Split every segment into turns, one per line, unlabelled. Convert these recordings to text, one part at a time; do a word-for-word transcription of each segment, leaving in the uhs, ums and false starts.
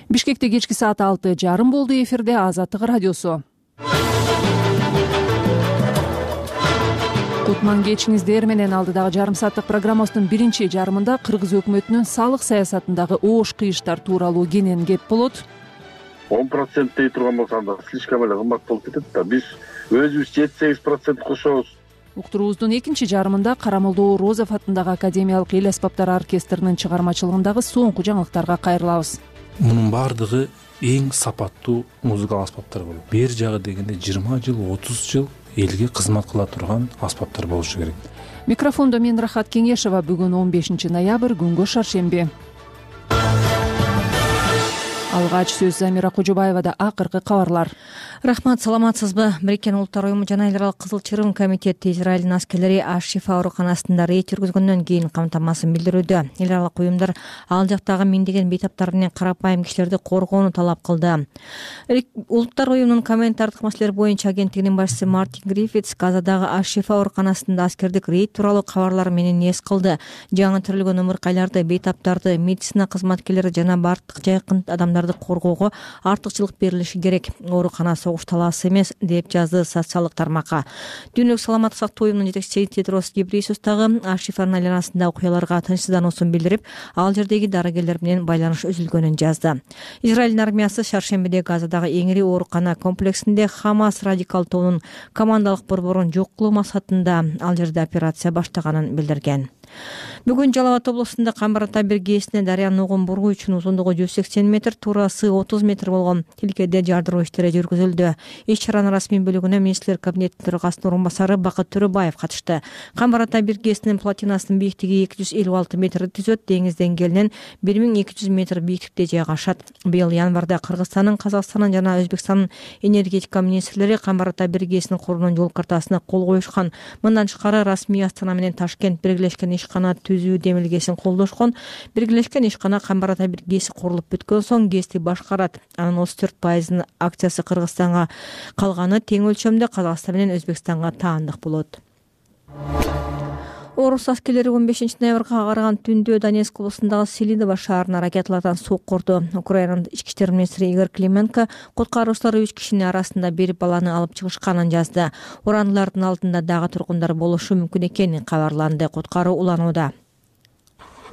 Бишкекте кечки саат алты жарым болду. Эфирде Азаттык радиосу. Кутман кечиңиздер менен алдыдагы жарым сааттык программасынын биринчи жарымында Кыргыз өкмөтүнүн салык саясатындагы оош кыйыштар тууралуу кенен кеп болот.
он процент дей турган болсо анда слишком эле кымбат болуп кетет да. Биз өзүбүз жети сегиз процент кошобуз.
Уктуруубуздун экинчи жарымында Карамолдоо Розов атындагы Академиялык эл аспаптары оркестринин чыгармачылыгындагы соңку жаңылыктарга кайрылабыз.
Мунун баардыгы эң сапаттуу музыкалык аспаптар болот. Бер жагы дегенде жыйырма жыл, отуз жыл элге кызмат кыла турган аспаптар болушу керек.
Микрофондо мен Рахат Кеңешова. Бүгүн он бешинчи ноябрь, күнгө шаршемби. Алгач сөз Замира Кожобаевада. Акыркы кабарлар.
Рахмат, саламатсызбы? Бириккен Улуттар уюму жана эл аралык Кызыл Чырым комитети Израилдин аскерлери Аш-Шифа ооруканасында рейд жүргүзгөндөн кийин камтамасын билдирүүдө. Эл аралык уюмдар ал жактагы миңдеген бейтаптар менен карапайым кишилерди коргоону талап кылды. Улуттар уюмунун коммунитардык маселелер боюнча агенттигинин башчысы Мартин Гриффитс Газадагы Аш-Шифа ооруканасында аскердик рейд тууралуу кабарлар менен эс кылды. Жаңы төрөлгөн ымыркайларды, бейтаптарды, медицина кызматкерлери жана бардык жайкын адамдарды коргоого артыкчылык берилиши керек. Оорукана согуш талаасы эмес, деп жазды социалдык тармакка. Дүйнөлүк саламаттык сактоо уюмунун жетекчиси Тедрос Гебрейесус дагы Аш-Шифанын айланасында окуяларга тынчсыздануусун билдирип, ал жердеги дарыгерлер менен байланыш үзүлгөнүн жазды. Израилдин армиясы шаршембиде Газадагы эң ири оорукана комплексинде Хамас радикал тобунун командалык борборун жок кылуу максатында ал жерде операция баштаганын билдирген. Бүгүн Жалал Абад облусунда Камбар ата бир гээсине дарыянын угун буруу үчүн узундугу жүз сексен метр, туурасы отуз метр болгон тилкеде жардыруу иштери жүргүзүлдү. Иш чаранын расмий бөлүгүнө министрлер кабинетинин төрагасынын орун басары Бакыт Төрөбаев катышты. Камбар ата бир гээсинин платинасынын бийиктиги эки жүз элүү алты метрди түзөт, деңиз деңгээлинен бир миң эки жүз метр бийиктикте жайгашат. Быйыл январда Кыргызстандын, Казакстандын жана Өзбекстандын энергетика министрлери Камбар ата бир гээсинин курулуунун жол картасына кол коюшкан. Мындан тышкары расмий Астана менен Ташкент биргелешкен ишкана түзүү демилгесин колдошкон. Биргелешкен ишкана Камбар ата бир гээси курулуп бүткөн соң гээсти башкарат. Анын отуз төрт пайызынын акциясы Кыргызстанга, калганы тең өлчөмдө Казакстан менен Өзбекстанга таандык болот. Орус аскерлери он бешинчи ноябрга караган түндө Донецк облусундагы Селидово шаарына ракеталардан соккурду. Украинанын ички иштер министри Игорь Клименко куткаруучулар үч кишинин арасында бир баланы алып чыгышканын жазды. Урандылардын алдында дагы тургундар болушу мүмкүн экени кабарланды. Куткаруу уланууда.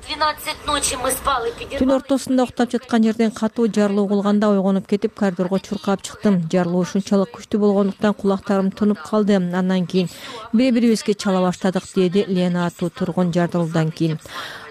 Түн ортосунда уктап жаткан жерден катуу жарылуу кылганда ойгонуп кетип, коридорго чуркап чыктым. Жарылуу ушунчалык күчтүү болгондуктан кулактарым тынып калды. Андан кийин бири-бирибизге чала баштадык, деди Лена аттуу тургун жарылуудан кийин.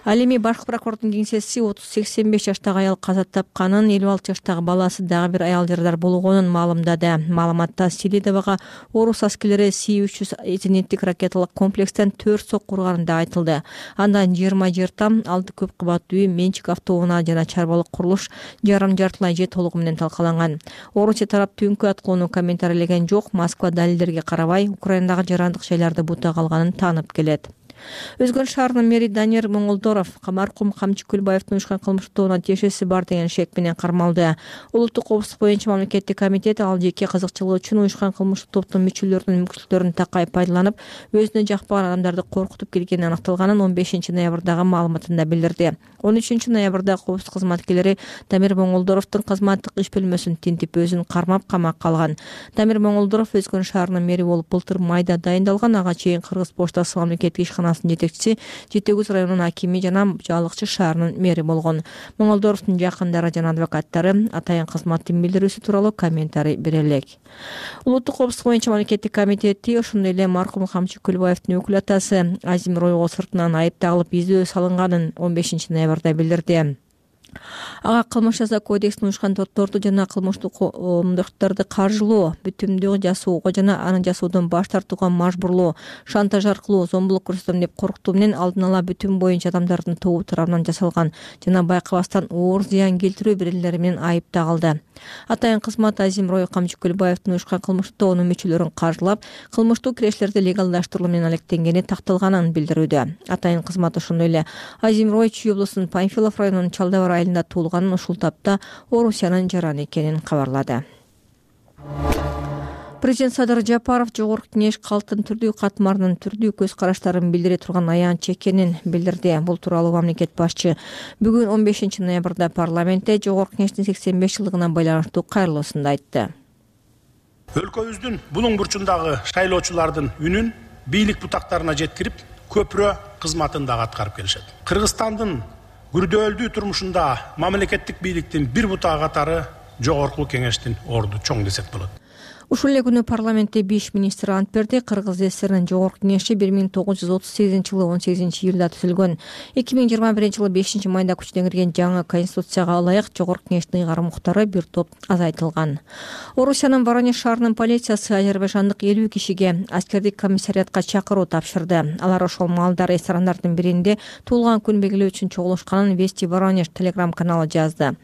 Ал эми баш прокурордун кеңсеси отуз сексен беш жаштагы аял каза тапканын, элүү алты жаштагы баласы дагы бир аял жарадар болгонун маалымдады. Маалыматта Селидового орус аскерлери Си үч жүз зениттик ракеталык комплекстен төрт сокку урганы да айтылды. Андан жыйырма жер там, алты көп кабаттуу үй, менчик автоунаа жана чарбалык курулуш жарым жартылай же толугу менен талкаланган. Орусия тарап түнкү аткууну комментарийлеген жок. Москва далилдерге карабай Украинадагы жарандык жайларды бута калганын таанып келет. Өзгөн шаарынын мэри Данир Моңолдоров маркум Камчы Көлбаевдин уюшкан кылмыштуу тобуна тиешеси бар деген шек менен кармалды. Улуттук коопсуздук боюнча мамлекеттик комитет ал жеке кызыкчылыгы үчүн уюшкан кылмыштуу топтун мүчөлөрүнүн мүмкүнчүлүктөрүн такай пайдаланып, өзүнө жакпаган адамдарды коркутуп келгени аныкталганын он бешинчи ноябрдагы маалыматында билдирди. он үчүнчү ноябрда коопсуздук кызматкерлери Дамир Моңолдоровдун кызматтык иш бөлмөсүн тинтип, өзүн кармап камакка алган. Дамир Моңолдоров Өзгөн шаарынын мэри болуп былтыр майда дайындалган. Ага чейин Кыргыз поштасы мамлекеттик ишканасынын жетекчиси, Жети Көз районунун акими жана Жалыкчы шаарынын мэри болгон. Моңолдоровдун жакындары жана адвокаттары атайын кызматтын билдирүүсү тууралуу комментарий бере элек. Улуттук коопсуздук боюнча мамлекеттик комитети ошондой эле маркум Камчы Көлбаевдин өкүл атасы Азим Ройго сыртынан айып тагылып издөө салынганын он бешинчи ноябрда билдирди. Ага кылмыш жаза кодексин уюшкан топторду жана кылмыштуу коомдоштуктарды каржылоо, бүтүмдүү жасоого жана аны жасоодон баш тартууга мажбурлоо, шантаж аркылуу зомбулук көрсөтөм деп коркутуу менен алдын ала бүтүм боюнча адамдардын тобу тарабынан жасалган жана байкабастан оор зыян келтирүү берилери менен айып тагылды. Атайын кызмат Азим Рой Камчы Көлбаевдин уюшкан кылмыштуу тобунун мүчөлөрүн каржылап, кылмыштуу кирештерди легалдаштыруу менен алектенгени такталганын билдирүүдө. Атайын кызмат ошондой эле Азим Рой Чүй облусунун Панфилов районунун Чалдабар айылында туулганын, ушул тапта Орусиянын жараны экенин кабарлады. Президент Садыр Жапаров Жогорку Кеңеш калктын түрдүү катмарынын түрдүү көз караштарын билдире турган аянтча экенин билдирди. Бул тууралуу мамлекет башчы бүгүн он бешинчи ноябрда парламентте Жогорку Кеңештин сексен беш жылдыгына байланыштуу кайрылуусунда айтты.
Өлкөбүздүн булуң бурчундагы шайлоочулардын үнүн бийлик бутактарына жеткирип, көпүрө кызматын дагы аткарып келишет. Кыргызстандын күрдөөлдүү турмушунда мамлекеттик бийликтин бир бутагы катары Жогорку Кеңештин орду чоң десек болот.
Ушул эле күнү парламентте беш министр ант берди. Кыргыз ССРнин Жогорку Кеңеши бир миң тогуз жүз отуз сегизинчи жылы он сегизинчи июлда түзүлгөн. эки миң жыйырма биринчи жылы бешинчи майда күчүнө кирген жаңы конституцияга ылайык Жогорку Кеңештин ыйгарым укуктары бир топ азайтылган. Орусиянын Воронеж шаарынын полициясы азербайжандык элүү кишиге аскердик комиссариатка чакыруу тапшырды. Алар ошол маалда ресторандардын биринде туулган күн белгилөө үчүн чогулушканын Вести Воронеж телеграм каналы жазды.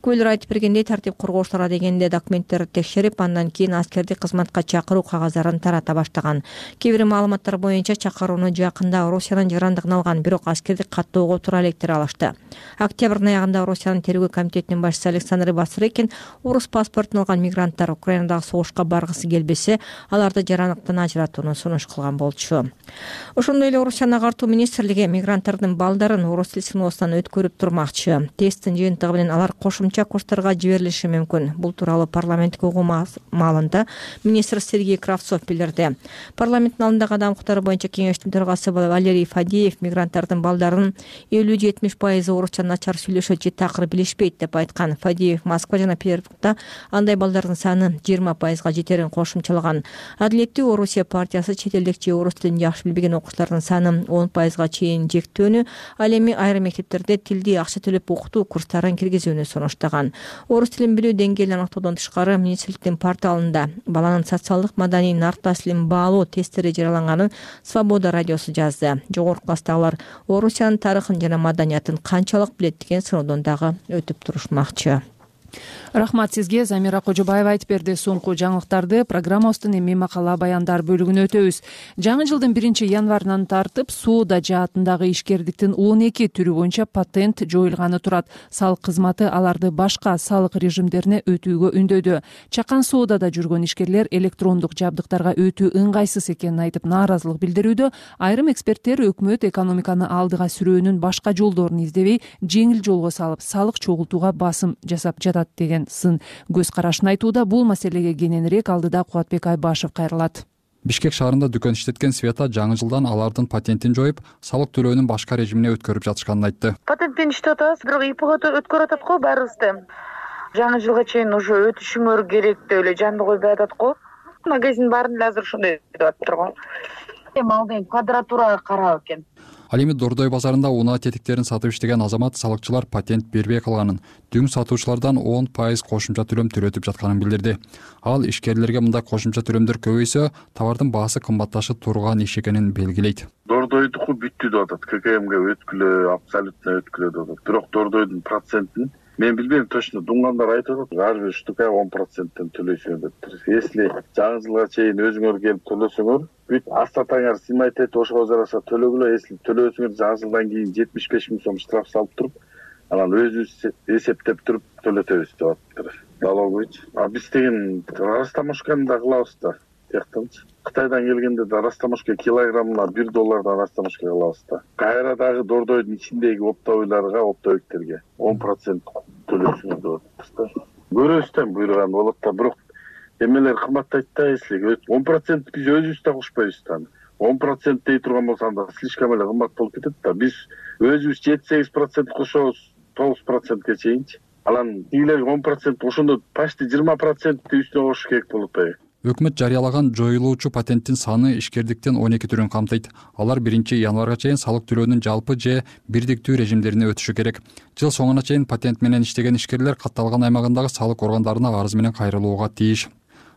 Күбөлөр айтып бергендей, тартип коргоочулар дегенде документтерди текшерип, андан кийин аскерди кызматка чакыруу кагаздарын тарата баштаган. Кээ бир маалыматтар боюнча чакырууну жакында Орусиянын жарандыгын алган, бирок аскердик каттоого туура электер алышты. Октябрдын аягында Орусиянын тергөө комитетинин башчысы Александр Басрыкин орус паспортун алган мигранттар Украинадагы согушка баргысы келбесе, аларды жарандыктан ажыратууну сунуш кылган болчу. Ошондой эле Орусиянын агартуу министрлиги мигранттардын балдарын орус тил сыноосунан өткөрүп турмакчы. Тесттин жыйынтыгы менен алар кошумча курстарга жиберилиши мүмкүн. Бул тууралуу парламенттик угуу маалында министр Сергей Кравцов билдирди. Парламенттин алдындагы адам укуктары боюнча кеңештин төрагасы Валерий Фадеев мигранттардын балдарынын элүү жетимиш пайызы орусча начар сүйлөшөт же такыр билишпейт деп айткан. Фадеев Москва жана Петербургда андай балдардын саны жыйырма пайызга жетерин кошумчалаган. Адилеттүү Орусия партиясы чет элдик же орус тилин жакшы билбеген окуучулардын саны он пайызга чейин жектөөнү, ал эми айрым мектептерде тилди акча төлөп окутуу курстарын киргизүүнү сунуштаган. Орус тилин билүү деңгээлин аныктоодон тышкары министрликтин порталында баланын социалдык маданий нартасилин баалоо тесттери жарыяланганын Свобода радиосу жазды. Жогорку класстагылар Орусиянын тарыхын жана маданиятын канчалык билет деген сыноодон дагы өтүп турушмакчы.
Рахмат сизге. Замира Кожобаева айтып берди. Соңку жаңылыктарды программабыздын эми макала баяндар бөлүгүнө өтөбүз. Жаңы жылдын биринчи январынан тартып соода жаатындагы ишкердиктин он эки түрү боюнча патент жоюлганы турат. Салык кызматы аларды башка салык режимдерине өтүүгө үндөдү. Чакан соодада жүргөн ишкерлер электрондук жабдыктарга өтүү ыңгайсыз экенин айтып нааразылык билдирүүдө. Айрым эксперттер өкмөт экономиканы алдыга сүрөөнүн башка жолдорун издебей, жеңил жолго салып, салык чогултууга басым жасап жатат деген сын көз карашын айтууда. Бул маселеге кененирээк алдыда Кубатбек Айбашев кайрылат.
Бишкек шаарында дүкөн иштеткен Света жаңы жылдан алардын патентин жоюп, салык төлөөнүн башка режимине өткөрүп жатышканын айтты.
Патентпен иштеп атабыз, бирок ИПго өткөрүп атат го баарыбызды. Жаңы жылга чейин уже өтүшүңөр керек деп эле жанды койбой атат го. Магазин баарын эле азыр ошондой деп атыптыр го. Эми алдын квадратурага карап экен.
Ал эми Дордой базарында унаа тетиктерин сатып иштеген азамат салыкчылар патент бербей калганын, дүң сатуучулардан он пайыз кошумча төлөм төлөтүп жатканын билдирди. Ал ишкерлерге мындай кошумча төлөмдөр көбөйсө, товардын баасы кымбатташып турган иш экенин белгилейт.
Дордойдуку бүттү деп атат, ККМге өткүлө, абсолютно өткүлө деп атат. Бирок Дордойдун процентин мен билбейм точно, дуңгандар айтып атат, ар бир штука он проценттен төлөйсүңөр деп. Если жаңы жылга чейин өзүңөр келип төлөсөңөр, бүт астатаңар сыймайт эт, ошого жараша төлөгүлө. Если төлөөсүңөр жаңы жылдан кийин жетимиш беш миң сом штраф салып туруп, анан өзүбүз эсептеп туруп төлөтөбүз деп атыптыр. Налогович. А биз деген растаможканы да кылабыз да. Тияктанчы. Кытайдан келгенде да растаможка килограммына бир доллардан растаможка кылабыз да. Кайра дагы Дордойдун ичиндеги оптовойларга, оптовиктерге он процент төлөсүңөр деп атыптыр. Көрөбүз буйруган болот да, бирок эмелер кымбаттайт да, если он процент биз өзүбүз да кушпайбыз да. он процент дей турган болсо анда слишком эле кымбат болуп кетет да. Биз өзүбүз жети сегиз процент кошобуз, тогуз процентке чейинчи. Анан тигилер он процент ошондо почти жыйырма проценттин үстүнө кошуш керек болуп атпайбы?
Өкмөт жарыялаган жоюлуучу патенттин саны ишкердиктин он эки түрүн камтыйт. Алар биринчи январга чейин салык төлөөнүн жалпы же бирдиктүү режимдерине өтүшү керек. Жыл соңуна чейин патент менен иштеген ишкерлер катталган аймагындагы салык органдарына арыз менен кайрылууга тийиш.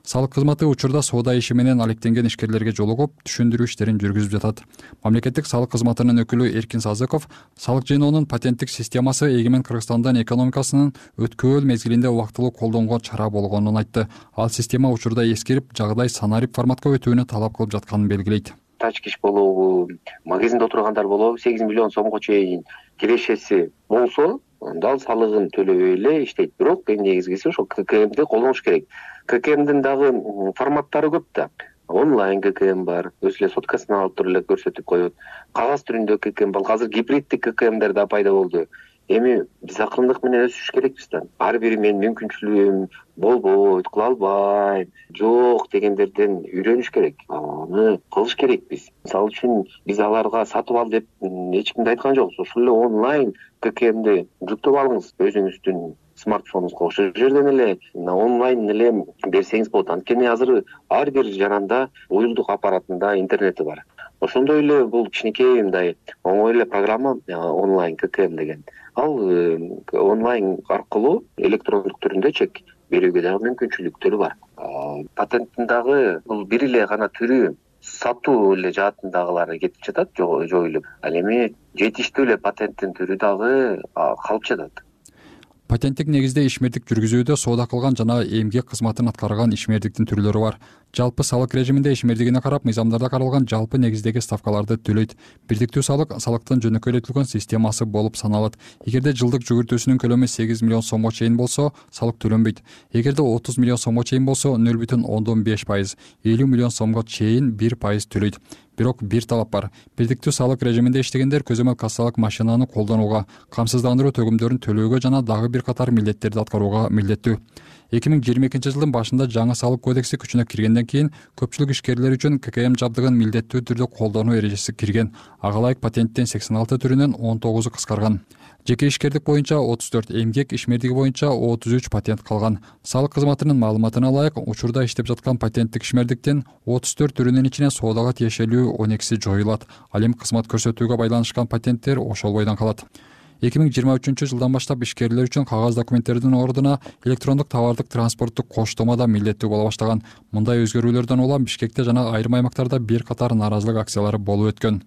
Салык кызматы учурда соода иши менен алектенген ишкерлерге жолугуп, түшүндүрүү иштерин жүргүзүп жатат. Мамлекеттик салык кызматынын өкүлү Эркин Сазыков салык жыйноонун патенттик системасы эгемен Кыргызстандын экономикасынын өткөөл мезгилинде убактылуу колдонгон чара болгонун айтты. Ал система учурда эскирип, жагдай санарип форматка өтүүнү талап кылып жатканын белгилейт.
Тачкиш болобу, магазинде отургандар болобу, сегиз миллион сомго чейин кирешеси болсо, дал салыгын төлөбөй эле иштейт. Бирок эң негизгиси ошол ка ка эмди колдонуш керек. ка ка эмдин дагы форматтары көп да. Онлайн ка ка эм бар, өзү эле соткасын алып туруп эле көрсөтүп коет. Кагаз түрүндө ка ка эм бар. Азыр гибриддик ка ка эмдер да пайда болду. Эми биз акырындык менен өсүш керекпиз да. Ар бири менин мүмкүнчүлүгүм болбойт, кыла албайм, жок дегендерден үйрөнүш керек. Аны кылыш керекпиз. Мисалы үчүн биз аларга сатып ал деп эч ким да айткан жокпуз. Ошол эле онлайн ка ка эмди жүктөп алыңыз өзүңүздүн смартфонуңузга. Ошол жерден эле онлайн эле берсеңиз болот. Анткени азыр ар бир жаранда уюлдук аппаратында интернети бар. Ошондой эле бул кичинекей мындай оңой эле программа онлайн ка ка эм деген. Ал онлайн аркылуу электрондук түрүндө чек берүүгө дагы мүмкүнчүлүктөрү бар. Патенттин дагы бул бир эле гана түрү сатуу эле жаатындагылары кетип жатат, жоюлуп. Ал эми жетиштүү эле патенттин түрү дагы калып жатат.
Патенттик негизде ишмердик жүргүзүүдө соода кылган жана эмгек кызматын аткарган ишмердиктин түрлөрү бар. Жалпы салык режиминде ишмердигине карап мыйзамдарда каралган жалпы негиздеги ставкаларды төлөйт. Бирдиктүү салык салыктын жөнөкөйлөтүлгөн системасы болуп саналат. Эгерде жылдык жүгүртүүсүнүн көлөмү сегиз миллион сомго чейин болсо, салык төлөнбөйт. Эгерде отуз миллион сомго чейин болсо, нөл бүтүн ондон беш пайыз, элүү миллион сомго чейин бир пайыз төлөйт. Бирок бир талап бар. Бирдиктүү салык режиминде иштегендер көзөмөл кассалык машинаны колдонууга, камсыздандыруу төгүмдөрүн төлөөгө жана дагы бир катар милдеттерди аткарууга милдеттүү. эки миң жыйырма экинчи жылдын башында жаңы салык кодекси күчүнө киргенден кийин көпчүлүк ишкерлер үчүн ка ка эм жабдыгын милдеттүү түрдө колдонуу эрежеси кирген. Ага ылайык патенттин сексен алты түрүнөн он тогузу кыскарган. Жеке ишкердик боюнча отуз төрт, эмгек ишмердиги боюнча отуз үч патент калган. Салык кызматынын маалыматына ылайык, учурда иштеп жаткан патенттик ишмердиктин отуз төрт түрүнүн ичинен соодага тиешелүү он экиси жоюлат. Ал эми кызмат көрсөтүүгө байланышкан патенттер ошол бойдон калат. эки миң жыйырма үчүнчү жылдан баштап ишкерлер үчүн кагаз документтердин ордуна электрондук товардык транспорттук коштома да милдеттүү боло баштаган. Мындай өзгөрүүлөрдөн улам Бишкекте жана айрым аймактарда бир катар нааразылык акциялары болуп өткөн.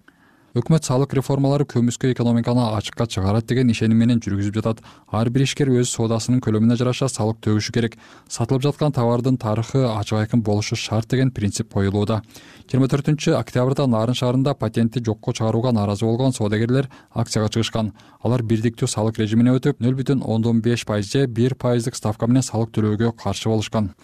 Өкмөт салык реформалары көмүскө экономиканы ачыкка чыгарат деген ишеним менен жүргүзүп жатат. Ар бир ишкер өз соодасынын көлөмүнө жараша салык төгүшү керек. Сатылып жаткан товардын тарыхы ачык айкын болушу шарт деген принцип коюлууда. жыйырма төртүнчү октябрда Нарын шаарында патентти жокко чыгарууга нааразы болгон соодагерлер акцияга чыгышкан. Алар бирдиктүү салык режимине өтүп, нөл бүтүн ондон беш пайыз же бир пайыздык ставка менен салык төлөөгө каршы болушкан.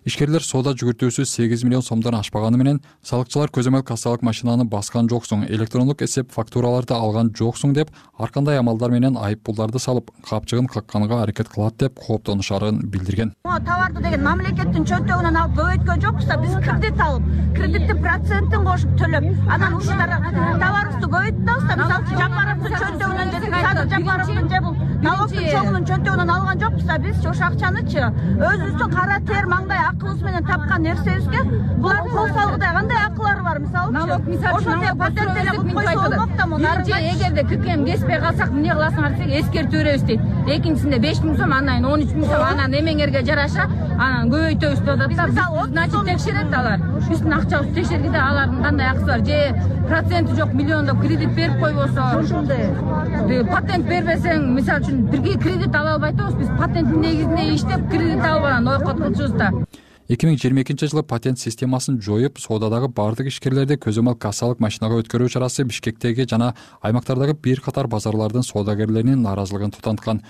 Ишкерлер соода жүгүртүүсү сегиз миллион сомдон ашпаганы менен салыкчылар көзөмөл кассалык машинаны баскан жоксуң, электрондук эсеп фактураларды алган жоксуң деп ар кандай амалдар менен айып пулдарды салып, капчыгын какканга аракет кылат деп кооптонушарын билдирген.
Товарды деген мамлекеттин чөнтөгүнөн алып бөгөйткөн жокпуз да, биз кредит алып, кредиттин процентин кошуп төлөп, анан ушулар товарыбызды көбөйттүбүз да, мисалы Жапаровдун чөнтөгүнөн же Садыр Жапаровдун же бул налогдун чоңунун чөнтөгүнөн алган жокпуз да, биз ошол акчанычы өзүбүздүн кара тер маңдай акыбыз менен тапкан нерсебизге булардын кол салгыдай кандай акылары бар, мисалычы. Ошондой патент деле кылып койсо болмок да муну.
Биринчи, эгерде ка ка эм кеспей калсак эмне кыласыңар десек, эскертүү беребиз дейт. Экинчисинде беш миң сом, анан он үч миң сом, анан эмеңерге жараша анан көбөйтөбүз деп атат да. Значит, текшерет алар. Биздин акчабызды текшергенде алардын кандай акысы бар, же проценти жок миллиондоп кредит берип койбосо. Ошондой. Патент бербесең, мисалы үчүн бирге кредит ала албай атабыз. Биз патенттин негизинде иштеп кредит алып анан ойкот кылчубуз да.
эки миң жыйырма экинчи жылы патент системасын жоюп, соодадагы бардык ишкерлерди көзөмөл кассалык машинага өткөрүү чарасы Бишкектеги жана аймактардагы бир катар базарлардын соодагерлеринин нааразылыгын тутанткан.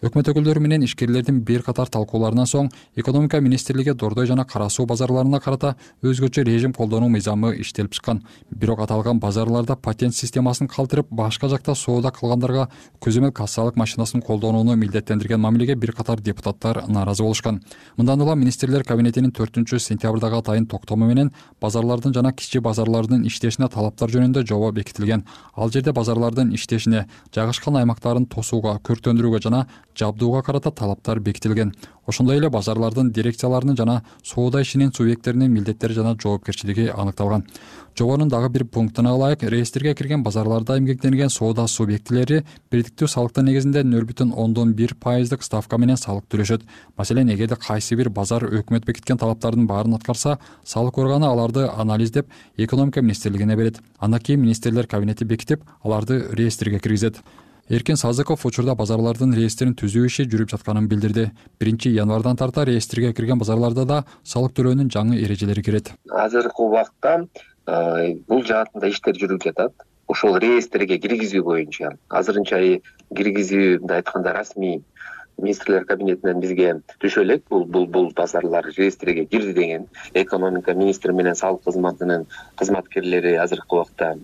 Өкмөт өкүлдөрү менен ишкерлердин бир катар талкууларынан соң экономика министрлиги Дордой жана Кара суу базарларына карата өзгөчө режим колдонуу мыйзамы иштелип чыккан. Бирок аталган базарларда патент системасын калтырып, башка жакта соода кылгандарга көзөмөл кассалык машинасын колдонууну милдеттендирген мамилеге бир катар депутаттар нааразы болушкан. Мындан улам министрлер кабинетинин төртүнчү сентябрдагы атайын токтому менен базарлардын жана кичи базарлардын иштешине талаптар жөнүндө жобо бекитилген. Ал жерде базарлардын иштешине, жайгашкан аймактарын тосууга, көрктөндүрүүгө жана жабдууга карата талаптар бекитилген. Ошондой эле базарлардын дирекцияларынын жана соода ишинин субъекттеринин милдеттери жана жоопкерчилиги аныкталган. Жобонун дагы бир пунктуна ылайык, реестрге кирген базарларда эмгектенген соода субъектилери бирдиктүү салыктын негизинде нөл бүтүн ондон бир пайыздык ставка менен салык төлөшөт. Маселен, эгерде кайсы бир базар өкмөт бекиткен талаптардын баарын аткарса, салык органы аларды анализдеп, экономика министрлигине берет. Андан кийин министрлер кабинети бекитип, аларды реестрге киргизет. Эркин Сазыков учурда базарлардын реестрин түзүү иши жүрүп жатканын билдирди. биринчи январдан тарта реестрге кирген базарларда да салык төлөөнүн жаңы эрежелери кирет.
Азыркы убакта бул жаатында иштер жүрүп жатат. ошол реестрге киргизүү боюнча азырынча киргизүү, мындай айтканда, расмий министрлер кабинетинен бизге түшө элек. Бул бул бул базарлар реестриге кирди деген. Экономика министри менен салык кызматынын кызматкерлери азыркы убакта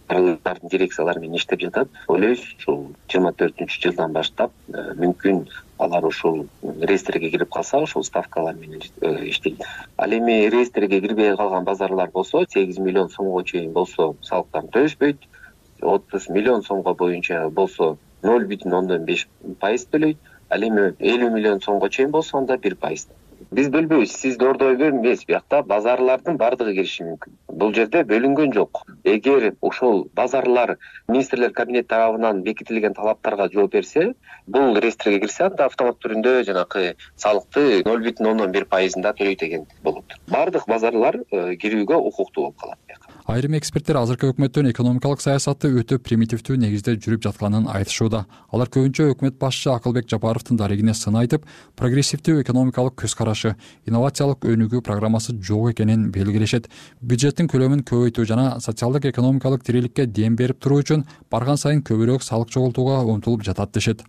барлардын дирекциялары менен иштеп жатат. Ойлойбуз, ушул жыйырма төртүнчү жылдан баштап мүмкүн алар ушул реестрге кирип калса, ошол ставкалар менен иштейт. Ал эми реестрге кирбей калган базарлар болсо, сегиз миллион сомго чейин болсо салыктарын төлөшпөйт. отуз миллион сомго боюнча болсо ноль бүтүн ондон беш пайыз төлөйт. Ал эми элүү миллион сомго чейин болсо анда бир пайыз. Биз бөлбөйбүз, сиз ордойбу эмес, биякта базарлардын бардыгы кириши мүмкүн. Бул жерде бөлүнгөн жок. Эгер ошол базарлар министрлер кабинети тарабынан бекитилген талаптарга жооп берсе, бул реестрге кирсе, анда автомат түрүндө жанакы салыкты ноль бүтүн ондон бир пайызында төлөйт деген болот. Бардык базарлар кирүүгө укуктуу болуп калат.
Айрым эксперттер азыркы өкмөттүн экономикалык саясаты өтө примитивдүү негизде жүрүп жатканын айтышууда. Алар көбүнчө өкмөт башчы Акылбек Жапаровдун дарегине сын айтып, прогрессивдүү экономикалык көз карашы, инновациялык өнүгүү программасы жок экенин белгилешет. Бюджеттин көлөмүн көбөйтүү жана социалдык экономикалык тириликке дем берип туруу үчүн барган сайын көбүрөөк салык чогултууга умтулуп жатат дешет.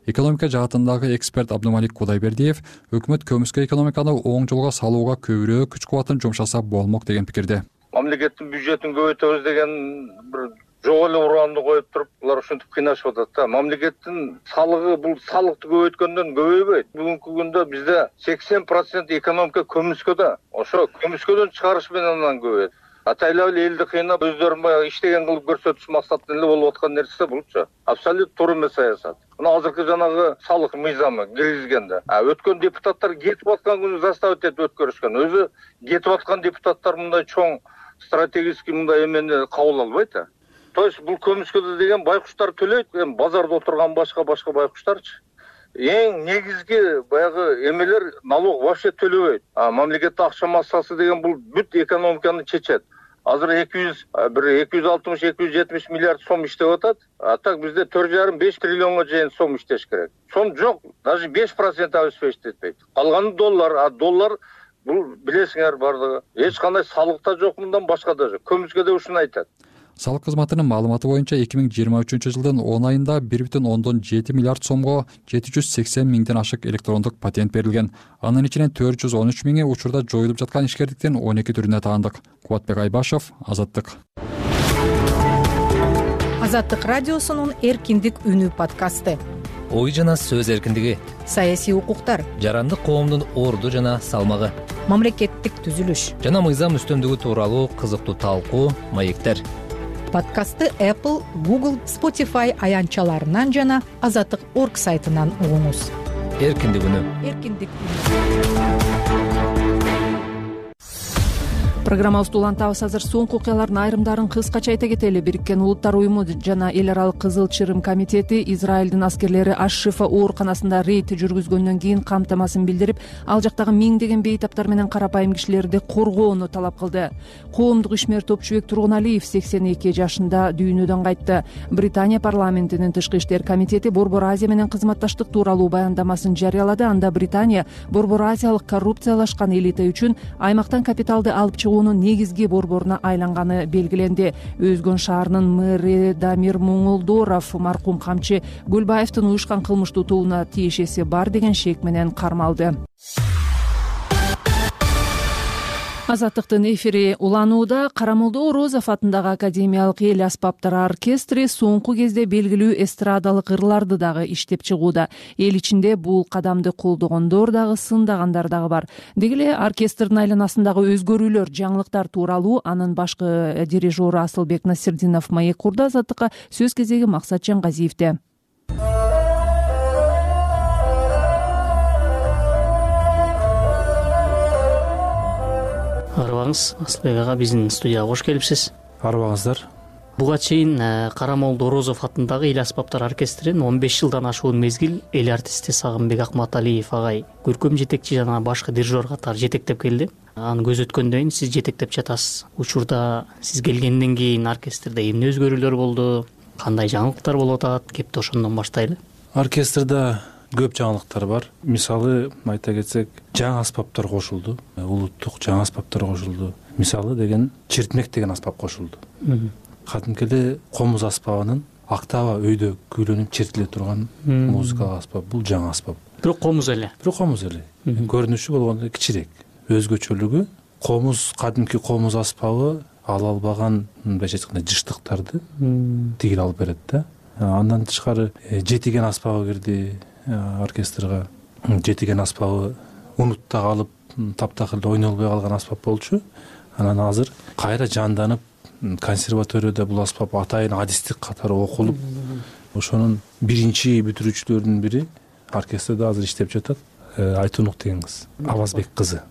Экономика жаатындагы эксперт Абдумалик Кудайбердиев өкмөт көмүскө экономиканы оң жолго салууга көбүрөөк күч кубатын жумшаса болмок деген пикирде.
Мамлекеттин бюджетин көбөйтөбүз деген бир жок эле ураанды коюп туруп, булар ушинтип кыйнашып атат да. Мамлекеттин салыгы бул салыкты көбөйткөндөн көбөйбөйт. Бүгүнкү күндө бизде сексен процент экономика көмүскөдө. Ошо көмүскөдөн чыгарыш менен анан көбөйөт. Атайлап эле элди кыйнап, өздөрүн баягы иштеген кылып көрсөтүш максатында эле болуп аткан нерсе булчу. Абсолют туура эмес саясат. Мына азыркы жанагы салык мыйзамы киргизгенде, өткөн депутаттар кетип аткан күнү заставить этип өткөрүшкөн. Өзү кетип аткан депутаттар мындай чоң стратегический мындай эмени кабыл албайт да. То есть бул көмүскөдө деген байкуштар төлөйт, эми базарда отурган башка башка байкуштарчы. Эң негизги баягы эмелер налог вообще төлөбөйт. А мамлекеттик акча массасы деген бул бүт экономиканы чечет. Азыр эки жүз бир эки жүз алтымыш эки жүз жетимиш миллиард сом иштеп атат. А так бизде төрт жарым беш триллионго чейин сом иштеш керек. Сом жок, даже беш процент обеспечить этпейт. Калганы доллар, а доллар бул билесиңер бардыгы. Эч кандай салык да жок, мындан башка да жок. Көмүскөдө ушуну айтат.
Салык кызматынын маалыматы боюнча эки миң жыйырма үчүнчү жылдын он айында бир бүтүн ондон жети миллиард сомго жети жүз сексен миңден ашык электрондук патент берилген. Анын ичинен төрт жүз он үч миңи учурда жоюлуп жаткан ишкерликтин он эки түрүнө таандык. Кубатбек Айбашев, Азаттык.
Азаттык радиосунун Эркиндик үнү подкасты.
Ой жана сөз эркиндиги,
саясий укуктар,
жарандык коомдун орду жана салмагы,
мамлекеттик түзүлүш
жана мыйзам үстөмдүгү тууралуу кызыктуу талкуу, маектер.
Подкастты Apple, Google, Spotify аянтчаларынан жана азаттык точка орг сайтынан угуңуз.
Эркиндик үнү.
Эркиндик үнү.
Программабызды улантабыз. Азыр соңку окуялардын айрымдарын кыскача айта кетели. Бириккен Улуттар уюму жана эл аралык Кызыл Чырым комитети Израилдин аскерлери Аш-Шифа ооруканасында рейд жүргүзгөндөн кийин камтамасын билдирип, ал жактагы миңдеген бейтаптар менен карапайым кишилерди коргоону талап кылды. Коомдук ишмер Топчубек Тургуналиев сексен эки жашында дүйнөдөн кайтты. Британия парламентинин тышкы иштер комитети Борбор Азия менен кызматташтык тууралуу баяндамасын жарыялады. Анда Британия Борбор Азиялык коррупциялашкан элита үчүн аймактан капиталды алып чыгуу негизги борборуна айланганы белгиленди. Өзгөн шаарынын мэри Дамир Муңулдоров маркум камчы Гүлбаевдин уюшкан кылмыштуу тобуна тиешеси бар деген шек менен кармалды. Азаттыктын эфири уланууда. Карамолдо Орозов атындагы Академиялык эл аспаптар оркестри соңку кезде белгилүү эстрадалык ырларды дагы иштеп чыгууда. Эл ичинде бул кадамды колдогондор дагы, сындагандар дагы бар. Деги эле оркестрдин айланасындагы өзгөрүүлөр, жаңылыктар тууралуу анын башкы дирижеру Асылбек Насирдинов маек курду. Азаттыкка сөз кезеги Максат Жаңгазиевде.
Арыбаңыз, Асылбек ага, биздин студияга кош келипсиз.
Арыбаңыздар.
Буга чейин Карамолдо Орозов атындагы эл аспаптар оркестрин он беш жылдан ашуун мезгил эл артисти Сагынбек Акматалиев агай көркөм жетекчи жана башкы дирижер катары жетектеп келди. Аны көз өткөндөн кийин сиз жетектеп жатасыз. Учурда сиз келгенден кийин оркестрде эмне өзгөрүүлөр болду? Кандай жаңылыктар болуп атат? Кепти ошондон баштайлы.
Оркестрде көп жаңылыктар бар. Мисалы айта кетсек, жаңы аспаптар кошулду. Улуттук жаңы аспаптар кошулду. Мисалы деген чиртмек деген аспап кошулду. кадимки эле комуз аспабынын октава өйдө күйлөнүп чертиле турган музыкалык аспап. Бул жаңы аспап.
Бирок комуз эле.
Бирок комуз эле. Көрүнүшү болгондо кичирээк. Өзгөчөлүгү комуз, кадимки комуз аспабы ала албаган мындайча айтканда жыштыктарды тигип алып берет да. Андан тышкары жетиген аспабы кирди оркестрга. Жетиген аспабы унутта калып, таптакыр ойной албай калган аспап болчу. Анан азыр кайра жанданып, консерваторияда бул аспап атайын адистик катары окулуп, ошонун биринчи бүтүрүүчүлөрүнүн бири оркестрде азыр иштеп жатат. Айтунук деген кыз, Авазбек кызы.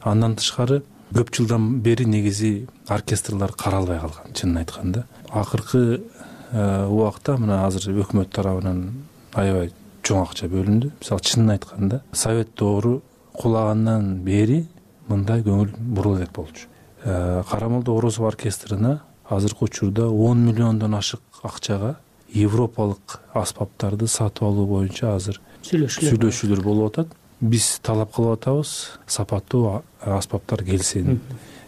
Андан тышкары көп жылдан бери негизи оркестрлар каралбай калган, чынын айтканда. Акыркы убакта мына азыр өкмөт тарабынан аябай чоң акча бөлүндү. Мисалы чынын айтканда, совет доору кулагандан бери мындай көңүл бурула элек болчу. Карамолдо Орозов оркестрина азыркы учурда он миллиондон ашык акчага европалык аспаптарды сатып алуу боюнча азыр сүйлөшүүлөр болуп атат. Биз талап кылып атабыз, сапаттуу аспаптар келсин.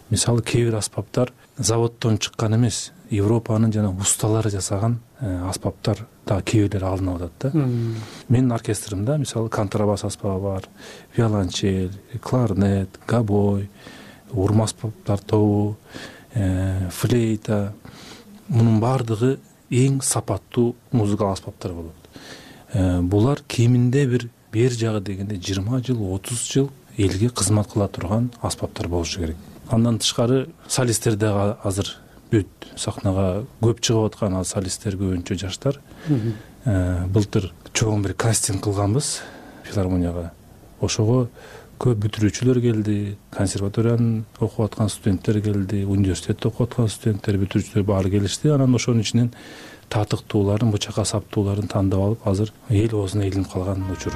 Мисалы кээ бир аспаптар заводдон чыккан эмес, Европанын жана усталары жасаган аспаптар да кээ бирлери алынып атат да. Менин оркестримде мисалы контрабас аспабы бар, виолончель, кларнет, габой, урма аспаптар тобу, флейта. Мунун баардыгы эң сапаттуу музыкалык аспаптар болот. Булар кеминде бир бер жагы дегенде жыйырма жыл, отуз жыл элге кызмат кыла турган аспаптар болушу керек. Андан тышкары солисттер да азыр бүт сахнага көп чыгып аткан солисттер көбүнчө жаштар. Былтыр чоң бир кастинг кылганбыз филармонияга. Ошого көп бүтүрүүчүлөр келди, консерваториянын окуп аткан студенттер келди, университетте окуп аткан студенттер, бүтүрүүчүлөр баары келишти. Анан ошонун ичинен татыктууларын, бычакка саптууларын тандап алып, азыр эл оозуна илинип калган учур.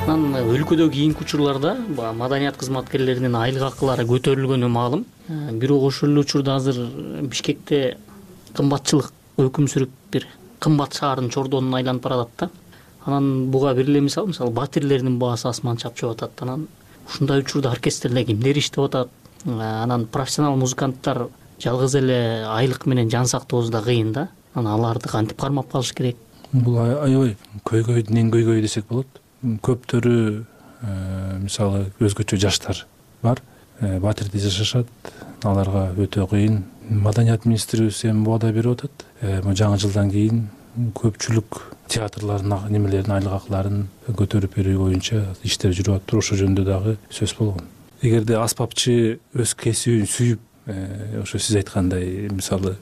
Анан өлкөдө кийинки учурларда маданият кызматкерлеринин айлык акылары көтөрүлгөнү маалым. Бирок ошол эле учурда азыр Бишкекте кымбатчылык өкүм сүрүп бир кымбат шаардын чордонуна айланып баратат да. Анан буга бир эле мисал, мисалы батирлердин баасы асман чапчып атат. Анан ушундай учурда оркестрде кимдер иштеп атат? Анан профессионал музыканттар жалгыз эле айлык менен жан сактоосу да кыйын да. Анан аларды кантип кармап калыш керек?
Бул аябай көйгөйдүн эң көйгөйү десек болот. Көптөрү мисалы өзгөчө жаштар бар, батирде жашашат, аларга өтө кыйын. Маданият министрибиз эми убада берип атат. Жаңы жылдан кийин көпчүлүк театрлардын немелерин, айлык акыларын көтөрүп берүү боюнча иштер жүрүп атат. Ошол жөнүндө дагы сөз болгон. Эгерде аспапчы өз кесибин сүйүп, ошо сиз айткандай, мисалы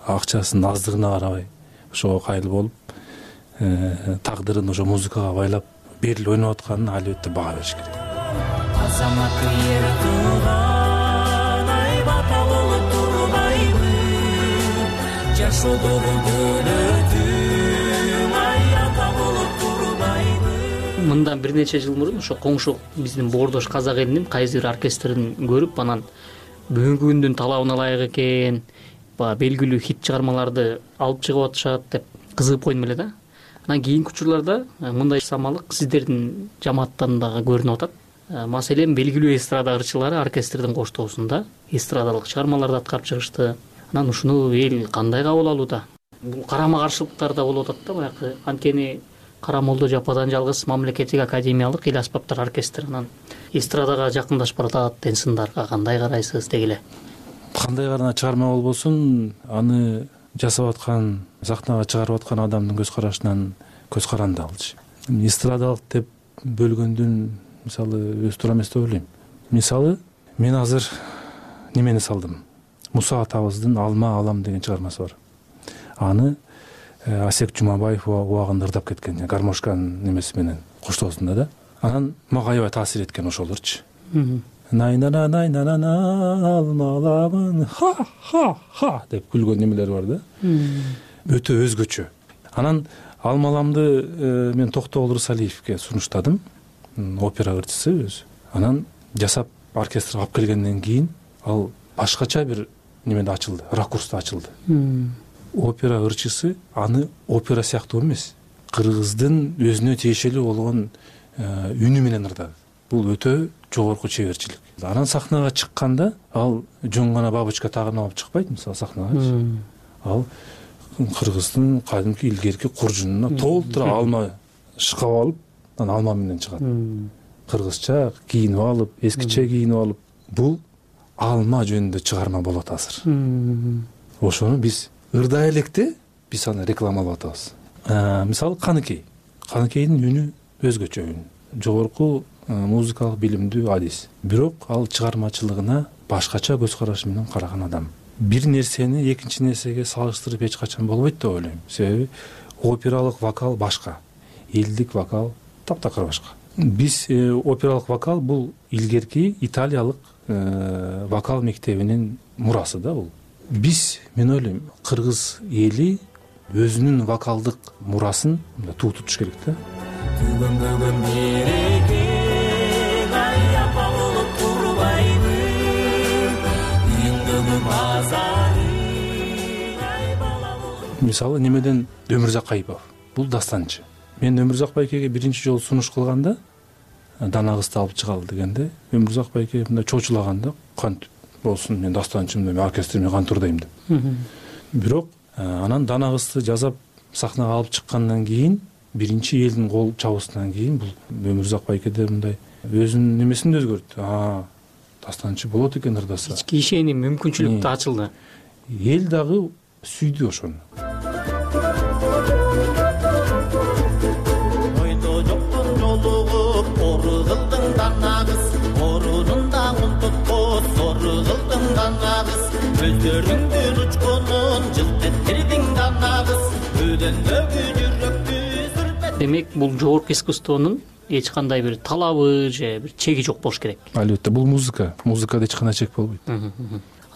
акчасынын аздыгына карабай ошого кайыл болуп, тагдырын ошо музыкага байлап берилип ойноп атканын албетте баа бериш керек. Азаматтын ери тууган ай бата болуп турбайбы, жашоодогу дөөлөтүм ай ата болуп турбайбы.
Мындан бир нече жыл мурун ошо коңшу биздин Боордош казак элинин кайсы бир оркестрин көрүп, анан бүгүнкү күндүн талабына ылайык экен, баягы белгилүү хит чыгармаларды алып чыгып атышат деп кызыгып койдум эле да. Анан кийинки учурларда мындай самалык сиздердин жамааттан дагы көрүнүп атат. Маселен, белгилүү эстрада ырчылары оркестрдин коштоосунда эстрадалык чыгармаларды аткарып чыгышты. Анан ушуну эл кандай кабыл алууда? Бул карама-каршылыктар да болуп атат да, баягы анткени Карамолдо жападан жалгыз мамлекеттик академиялык эл аспаптар оркестри, анан эстрадага жакындашып баратат деген сындарга кандай карайсыз дегиле?
Кандай гана чыгарма болбосун, аны жасап аткан, сахнага чыгарып аткан адамдын көз карашынан көз каранды алчу. Эстрадалык деп бөлгөндүн мисалы өз туура эмес деп ойлойм. Мисалы мен азыр немени салдым. Муса атабыздын Алма алам деген чыгармасы бар. Аны Асек Жумабаев убагында ырдап кеткен, гармошканын немеси менен коштоосунда да. Анан мага аябай таасир эткен ошолорчу. Найнана найнана алмаламын ха-ха-ха деп күлгөн немелер бар да. Өтө өзгөчө. Анан Алмаламды мен Токтогул Рысалиевке сунуштадым, опера ырчысы өзү. Анан жасап оркестрге алып келгенден кийин ал башкача бир немеде ачылды, ракурста ачылды. Опера ырчысы аны опера сыяктуу эмес, кыргыздын өзүнө тиешелүү болгон үнү менен ырдады. бул өтө жогорку чеберчилик. Анан сахнага чыкканда ал жөн гана бабочка тагынып алып чыкпайт мисалы сахнагачы. Ал кыргыздын кадимки илгерки куржунуна толтура алма шкап алып, анан алма менен чыгат. Кыргызча кийинип алып, эскиче кийинип алып, бул алма жөнүндө чыгарма болот азыр. Ошону биз ырдай электе биз аны рекламалап атабыз. Мисалы Каныкей. Каныкейдин үнү өзгөчө үн. Жогорку музыкалык билимдүү адис. Бирок ал чыгармачылыгына башкача көз караш менен караган адам. Бир нерсени экинчи нерсеге салыштырып эч качан болбойт деп ойлойм. Себеби опералык вокал башка, элдик вокал таптакыр башка. Биз опералык вокал бул илгерки италиялык вокал мектебинин мурасы да бул. Биз, мен ойлойм, кыргыз эли өзүнүн вокалдык мурасын туу тутуш керек да. Мисалы немеден Өмүрзак Кайыпов. Бул дастанчы. Мен Өмүрзак байкеге биринчи жолу сунуш кылганда, Дана кызды алып чыгалы дегенде, Өмүрзак байке мындай чочулаганда, кантип болсун, мен дастанчымын, мен оркестрмен кантурдайм деп. Бирок анан Дана кызды жазап сахнага алып чыккандан кийин, биринчи элдин кол чабысынан кийин бул Өмүрзак байкеде мындай өзүнүн немесин да өзгөрттү. А, дастанчы болот экен ырдаса.
Ички ишеним, мүмкүнчүлүк да ачылды.
Эл дагы сүйдү ошону.
Ойдо жоктун жолугуп ору кылдың данагыз, орунунда унтуткос ору кылдың данагыз, көздөрүңдүн учкунун жылт эттирдиң данагыз, өдөндөгү жүрөктү сүртет.
Демек, бул жогорку искусствонун эч кандай бир талабы же бир чеги жок болуш керек.
Албетте, бул музыка. Музыкада эч кандай чек болбойт.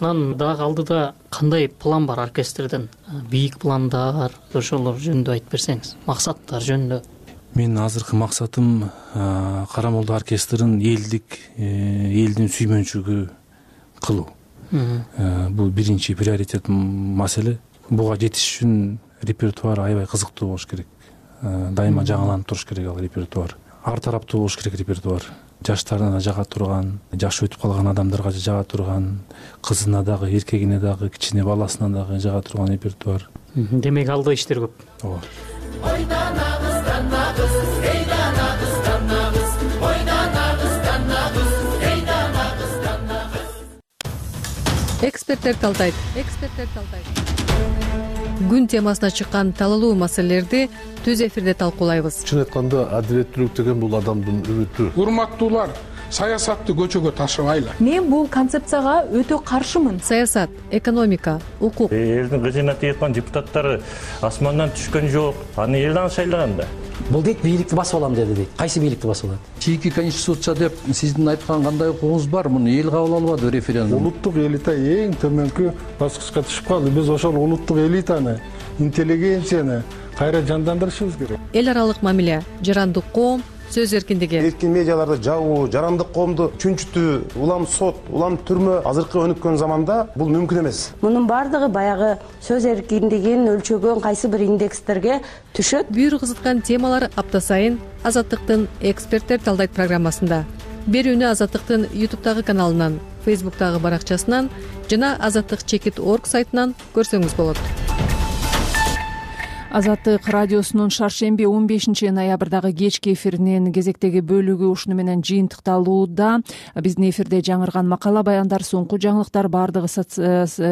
Анан дагы алдыда кандай план бар оркестрден? Бийик пландар, ошолор жөнүндө айтып берсеңиз, максаттар жөнүндө.
Менин азыркы максатым Карамолду оркестрин элдик, элдин сүймөнчүгү кылуу. Бул биринчи приоритет маселе. Буга жетиш үчүн репертуар аябай кызыктуу болуш керек. Дайыма жаңыланып туруш керек ал репертуар. Ар тараптуу болуш керек репертуар. Жаштарына жага турган, жашы өтүп калган адамдарга жага турган, кызына дагы, эркегине дагы, кичине баласына дагы жага турган репертуар.
Демек, алда иштер көп.
Ооба.
Ойданабыз, данабыз, эйданабыз, данабыз, ойданабыз, данабыз, эйданабыз, данабыз.
Эксперттер талдайт. Эксперттер талдайт. Күн темасына чыккан талалуу маселелерди түз эфирде талкуулайбыз.
Чын айтканда, адилеттүүлүк деген бул адамдын үмүтү.
Урматтуулар, саясатты көчөгө ташыбайлы.
Мен бул концепцияга өтө каршымын.
Саясат, экономика, укук.
Элдин кызына тийган депутаттары асмандан түшкөн жок. Аны элдин шайлаган да.
Бул дейт бийликти басып алам деди дейт. Кайсы бийликти басып алат?
Чийки конституция деп сиздин айткан кандай укугуңуз бар? Муну эл кабыл албады референдум.
Улуттук элита эң төмөнкү баскычка түшүп калды. Биз ошол улуттук элитаны, интеллигенцияны кайра жандандырышыбыз керек.
Эл аралык мамиле, жарандык коом, сөз эркиндиги.
Эркин медиаларды жабуу, жарандык коомду чүнчүтүү, улам сот, улам түрмө азыркы өнүккөн заманда бул мүмкүн эмес.
Мунун бардыгы баягы сөз эркиндигин өлчөгөн кайсы бир индекстерге түшөт.
Бүйүр кызыткан темалар апта сайын Азаттыктын эксперттер талдайт программасында. Берүүнү Азаттыктын ютубтагы каналынан, фейсбуктагы баракчасынан жана азаттык чекит точка орг сайтынан көрсөңүз болот. Азаттык радиосунун шаршемби он бешинчи ноябрдагы кечки эфиринин кезектеги бөлүгү ушуну менен жыйынтыкталууда. Биздин эфирде жаңырган макала баяндар, соңку жаңылыктар баардыгы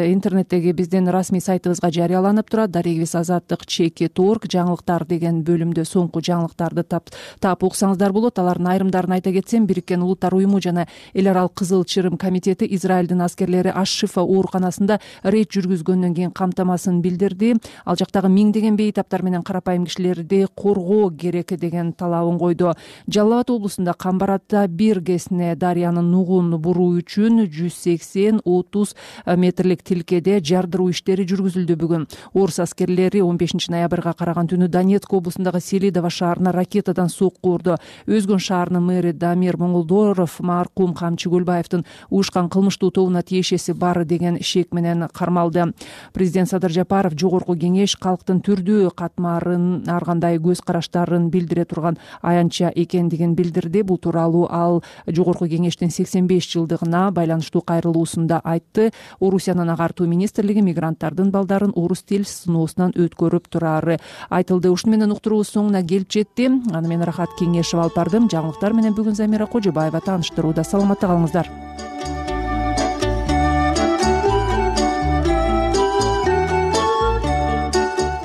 интернеттеги биздин расмий сайтыбызга жарыяланып турат. Дарегибиз азаттык чекит точка орг жаңылыктар деген бөлүмдө соңку жаңылыктарды таап уксаңыздар болот. Алардын айрымдарын айта кетсем, Бириккен Улуттар уюму жана Эл аралык Кызыл Чырым комитети Израилдин аскерлери Аш-Шифа ооруканасында рейд жүргүзгөндөн кийин камтамасын билдирди. Ал жактагы миңдеген таптар менен карапайым кишилерди коргоо керек деген талабын койду. Жалал Абад облусунда Камбарата бир кесине дарыянын нугун буруу үчүн жүз сексен отуз метрлик тилкеде жардыруу иштери жүргүзүлдү. Бүгүн орус аскерлери он бешинчи ноябрга караган түнү Донецк облусундагы Селидово шаарына ракетадан сокку урду. Өзгөн шаарынын мэри Дамир Моңолдоров маркум Камчы Көлбаевдин уюшкан кылмыштуу тобуна тиешеси бар деген шек менен кармалды. Президент Садыр Жапаров Жогорку кеңеш калктын түрдүү
өтө катмарын, ар кандай көз караштарын билдире турган аянтча экендигин билдирди. Бул тууралуу ал Жогорку Кеңештин сексен беш жылдыгына байланыштуу кайрылуусунда айтты. Орусиянын агартуу министрлиги мигранттардын балдарын орус тил сыноосунан өткөрүп турары айтылды. Ушуну менен уктуруубуз соңуна келип жетти. Аны мен Рахат Кеңешева алып бардым. Жаңылыктар менен бүгүн Замира Кожобаева тааныштырууда. Саламатта калыңыздар.